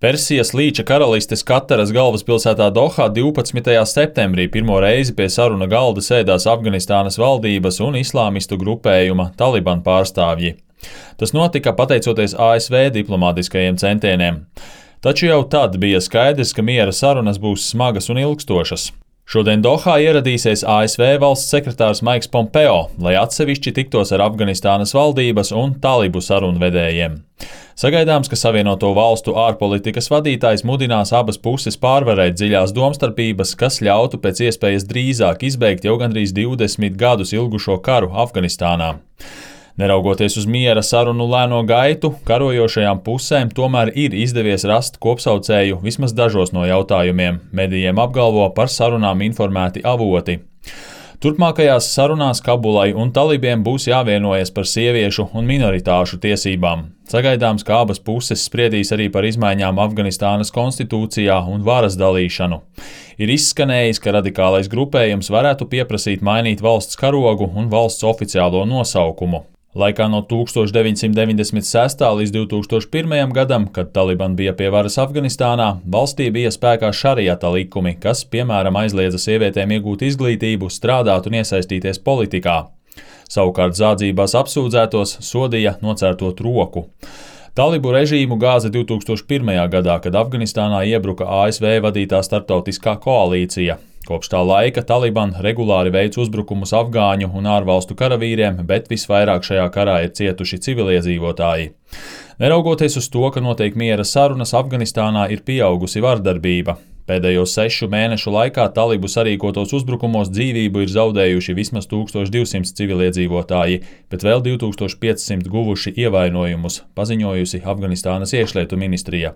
Persijas līča karalistes Kataras galvaspilsētā Dohā 12. septembrī pirmo reizi pie saruna galda sēdās Afganistānas valdības un islāmistu grupējuma Taliban pārstāvji. Tas notika pateicoties ASV diplomātiskajiem centieniem. Taču jau tad bija skaidrs, ka miera sarunas būs smagas un ilgstošas. Šodien Dohā ieradīsies ASV valsts sekretārs Maiks Pompeo, lai atsevišķi tiktos ar Afganistānas valdības un talibu sarunvedējiem. Sagaidāms, ka Savienoto valstu ārpolitikas vadītājs mudinās abas puses pārvarēt dziļās domstarpības, kas ļautu pēc iespējas drīzāk izbeigt jau gandrīz 20 gadus ilgušo karu Afganistānā. Neraugoties uz miera sarunu lēno gaitu, karojošajām pusēm tomēr ir izdevies rast kopsaucēju vismaz dažos no jautājumiem, medijiem apgalvo par sarunām informēti avoti. Turpmākajās sarunās Kabulai un talibiem būs jāvienojas par sieviešu un minoritāšu tiesībām. Sagaidāms, ka abas puses spriedīs arī par izmaiņām Afganistānas konstitūcijā un varas dalīšanu. Ir izskanējis, ka radikālais grupējums varētu pieprasīt mainīt valsts karogu un valsts oficiālo nosaukumu. Laikā no 1996. līdz 2001. gadam, kad Taliban bija pie varas Afganistānā, valstī bija spēkā šariata likumi, kas, piemēram, aizliedza sievietēm iegūt izglītību, strādāt un iesaistīties politikā. Savukārt zādzībās apsūdzētos sodīja nocērtot roku. Talibu režīmu gāza 2001. gadā, kad Afganistānā iebruka ASV vadītā starptautiskā koalīcija. Kopš tā laika Taliban regulāri veic uzbrukumus afgāņu un ārvalstu karavīriem, bet visvairāk šajā karā ir cietuši civiliedzīvotāji. Neraugoties uz to, ka notiek miera sarunas, Afganistānā ir pieaugusi vardarbība. Pēdējo 6 mēnešu laikā talibu sarīkotos uzbrukumos dzīvību ir zaudējuši vismaz 1200 civiliedzīvotāji, bet vēl 2500 guvuši ievainojumus, paziņojusi Afganistānas iekšlietu ministrija.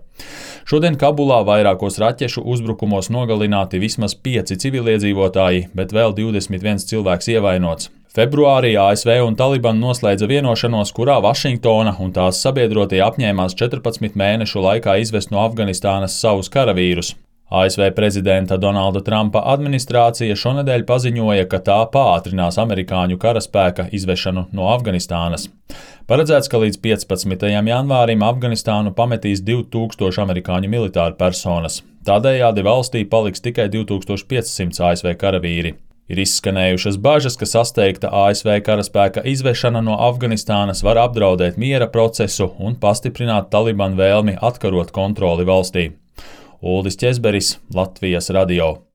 Šodien Kabulā vairākos raķešu uzbrukumos nogalināti vismaz 5 civiliedzīvotāji, bet vēl 21 cilvēks ievainots. Februārī ASV un Taliban noslēdza vienošanos, kurā Vašingtona un tās sabiedrotie apņēmās 14 mēnešu laikā izvest no Afganistānas savus karavīrus. ASV prezidenta Donalda Trumpa administrācija šonedēļ paziņoja, ka tā pātrinās amerikāņu karaspēka izvešanu no Afganistānas. Paredzēts, ka līdz 15. janvārim Afganistānu pametīs 2000 amerikāņu militāru personas. Tādējādi valstī paliks tikai 2500 ASV karavīri. Ir izskanējušas bažas, ka sasteigta ASV karaspēka izvešana no Afganistānas var apdraudēt miera procesu un pastiprināt Taliban vēlmi atkarot kontroli valstī. Uldis Ķezberis, Latvijas radio.